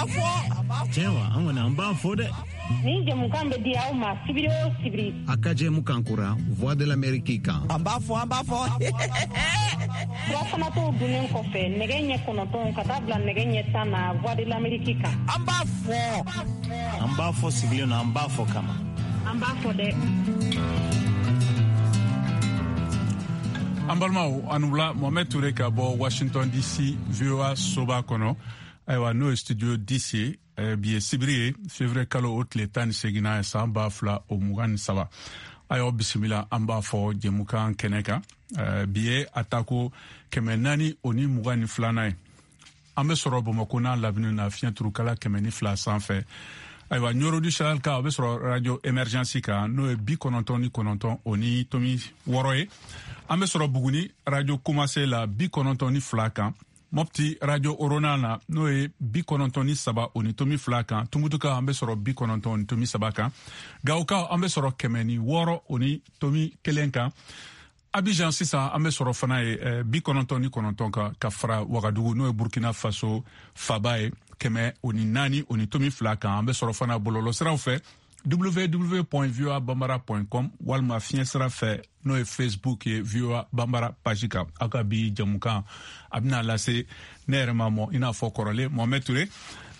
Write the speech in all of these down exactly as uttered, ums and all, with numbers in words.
fɔ. Cɛwa, an kɔni an b'a fɔ dɛ. Nin jɛmukan bɛ di aw ma sibiri o sibiri. A ka jɛmukan kura Voix de l'Amérique kan. An b'a fɔ, an b'a fɔ. Furafanatɔw dunnen kɔfɛ nɛgɛ ɲɛ kɔnɔntɔn ka taa bila nɛgɛ ɲɛ tan na Voix de l'Amérique kan. An b'a fɔ. An b'a fɔ sigilen na, an b'a fɔ kama. An b'a fɔ dɛ. An balimaw, an wula. Mohamed Toure ka bɔ Washington D C, V O A soba kɔnɔ. Ayiwa, n'o ye studio D C ye. Bi ye sibiri ye, février kalo o tile tan ni seginna ye, san ba fila o mugan ni saba. Ayiwa, bisimila, an b'a fɔ jɛmukan kɛnɛ kan. Bi ye a tako kɛmɛ naani o ni mugan ni filanan ye. An bɛ sɔrɔ Bamakɔ n'a lamini na, fiɲɛ turukala kɛmɛ ni fila sanfɛ. Ayiwa, Ɲɔrɔ du Sahel kan, o bɛ sɔrɔ radio Émergence kan, n'o ye bi kɔnɔntɔn ni kɔnɔntɔn o ni tomi wɔɔrɔ ye. An bɛ sɔrɔ Buguni, radio Komase la, bi kɔnɔntɔn ni fila kan. Mɔpti, radio Orona na, n'o ye bi kɔnɔntɔn ni saba o ni tomi fila kan. Tumutuka, an bɛ sɔrɔ bi kɔnɔntɔn ni tomi saba kan. Gawokaw, an bɛ sɔrɔ kɛmɛ ni wɔɔrɔ o ni tomi kelen kan. Abidjan sisan, an bɛ sɔrɔ fana ye bi kɔnɔntɔn ni kɔnɔntɔn kan, ka fara Wagadugu, n'o ye Burkina Faso faba ye, kɛmɛ o ni naani o ni tomi fila kan. An bɛ sɔrɔ fana bɔlɔlɔsiraw fɛ, w w w point voa bambara point com, walima fiɲɛ sira fɛ, n'o ye Facebook ye, V O A Bambara page kan. Aw ka bi jamukan a bɛna lase ne yɛrɛ ma mɔ i n'a fɔ kɔrɔlen, Mohamed Toure.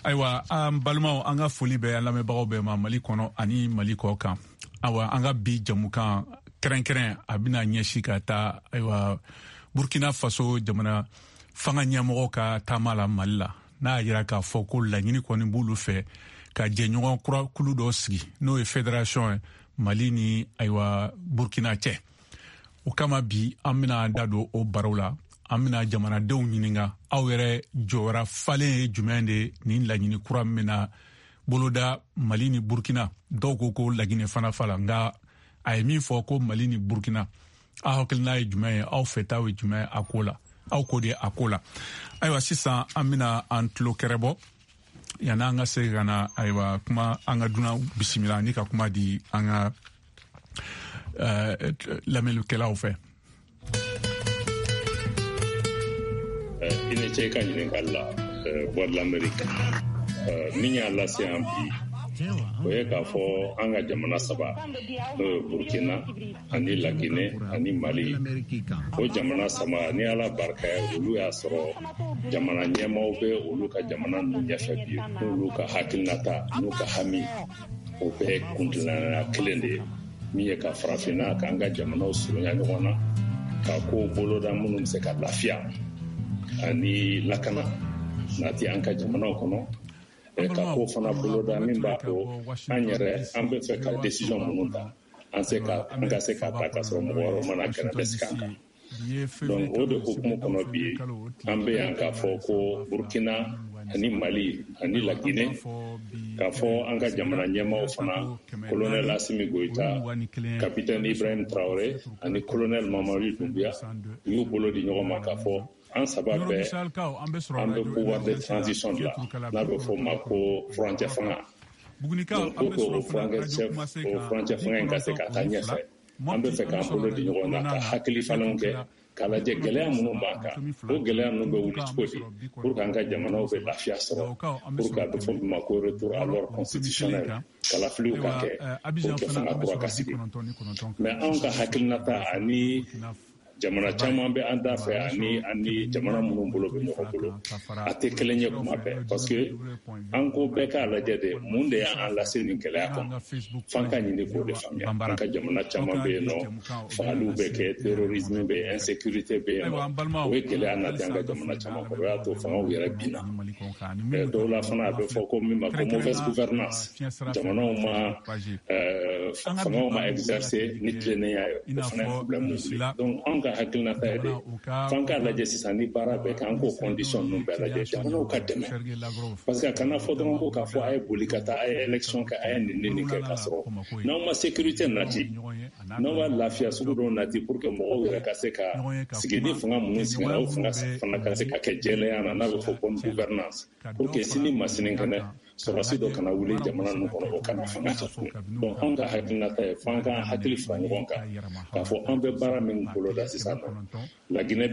Ayiwa, an balimaw, an ka foli bɛ an lamɛnbagaw bɛɛ ma, Mali kɔnɔ ani Mali kɔ kan. Ayiwa, an ka bi jamukan kɛrɛnkɛrɛn, a bɛna ɲɛsin ka taa, ayiwa, Burkina Faso jamana fanga ɲɛmɔgɔ ka taama la Mali la, n'a y'a yira k'a fɔ ko laɲini kɔni b'olu fɛ ka jɛɲɔgɔn kura kulu dɔ sigi, n'o ye fédération ye Mali ni, ayiwa, Burkina cɛ. O kama bi, an bɛna da don o baro la. An bɛna jamanadenw ɲininka, aw yɛrɛ jɔyɔrɔ falen ye jumɛn de nin laɲini kura min bɛna boloda Mali ni Burkina? Dɔw ko ko Laginɛ fana fa la, nka a ye min fɔ ko Mali ni Burkina, aw hakilina ye jumɛn ye? Aw fɛtaw ye jumɛn ye a ko la? Aw ko de a ko la. Ayiwa, sisan an bɛna an tulo kɛrɛbɔ yanni an ka se ka na, ayiwa, kuma an ka dunan bisimila ni ka kuma di an ka uh, lamɛnnikɛlaw fɛ. I ni ce i ka ɲininkali la, Voix de l'Amérique. Min y'a lase an bi, o ye k'a fɔ an ka jamana saba, n'o ye Burkina ani Laginɛ ani Mali, o jamana saba, ni Ala barika ye, olu y'a sɔrɔ jamana ɲɛmaaw bɛ olu ka jamana ninnu ɲɛfɛ bi, n'olu ka hakilinata n'u ka hami, o bɛɛ kuntilenna kelen de ye, min ye ka farafinna, k'an ka jamanaw surunya ɲɔgɔn na, ka kow boloda minnu bɛ se ka lafiya ani lakana nati an ka jamanaw kɔnɔ, ka ko fana boloda min b'a to an yɛrɛ an bɛ fɛ ka décision minnu ta, an se ka an ka se ka ta ka sɔrɔ mɔgɔ wɛrɛw mana kɛrɛfɛ sigi an kan. Donc o de hukumu kɔnɔ bi, an bɛ yan k'a fɔ ko Burkina ani Mali ani Laginɛ, k'a fɔ an ka jamana ɲɛmaaw fana, colonel Assimi Goïta, capitaine Ibrahim Traoré ani colonel Mamadi Doumbouya, u y'u bolo di ɲɔgɔn ma k'a fɔ an saba bɛɛ, an bɛ pouvoir de transition de la, n'a bɛ fɔ o ma ko furancɛ fanga. Donc pour que o furancɛ o furancɛ fanga in ka se ka taa ɲɛfɛ, an bɛ fɛ k'an bolo di ɲɔgɔn na, ka hakili falenw kɛ, k'a lajɛ gɛlɛya minnu b'an kan, o gɛlɛya ninnu bɛ wuli cogo di, pour que an ka jamanaw bɛ lafiya sɔrɔ, pour que a bɛ fɔ min ma ko retour à l'ordre constitutionnel, kalafiliw ka kɛ pour que fanga kura ka sigi. Mais anw ka hakilinata ani jamana caman bɛ an da fɛ, ani ani jamana minnu bolo bɛ ɲɔgɔn bolo, a tɛ kelen ye kuma bɛɛ, parce que an ko bɛɛ k'a lajɛ de, mun de y'an lase nin gɛlɛya kɔnɔ, f'an ka ɲini k'o de faamuya. An ka jamana caman bɛ yen nɔ, fagaliw bɛ kɛ, terrorisme bɛ yen, insécurité bɛ yen nɔ, o ye gɛlɛya nati an ka jamana caman kɔrɔ, o y'a to fangaw yɛrɛ binna. Dɔw la fana, a bɛ fɔ ko min ma ko mauvaise gouvernance, jamanaw ma fangaw ma exercer ni tilennenya ye, o fana ye problème wuli. Donc anw ka hakilinata ye de, f'an k'a lajɛ sisan, ni baara bɛɛ kɛ, an k'o condition ninnu bɛɛ lajɛ, jamanaw ka dɛmɛ, parce que a kana fɔ dɔrɔn ko k'a fɔ a ye boli ka taa, a ye élection kɛ, a ye nin ni nin kɛ, k'a sɔrɔ n'aw ma sécurité nati, n'aw ma lafiya sugu dɔw nati, pour que mɔgɔw yɛrɛ ka se ka sigi ni fanga minnu sigira, o fanga fana ka se ka kɛ jɛlenya na, n'a bɛ fɔ bonne gouvernance, pour que sini ma sinikɛnɛ, sɔrɔdasi dɔ kana wuli jamana ninnu kɔnɔ, o kana fanga ta tugun. Donc anw ka hakilinata ye, f'an k'an hakili fara ɲɔgɔn kan k'a fɔ an bɛ baara min boloda sisan nɔ, Laginɛ bɛ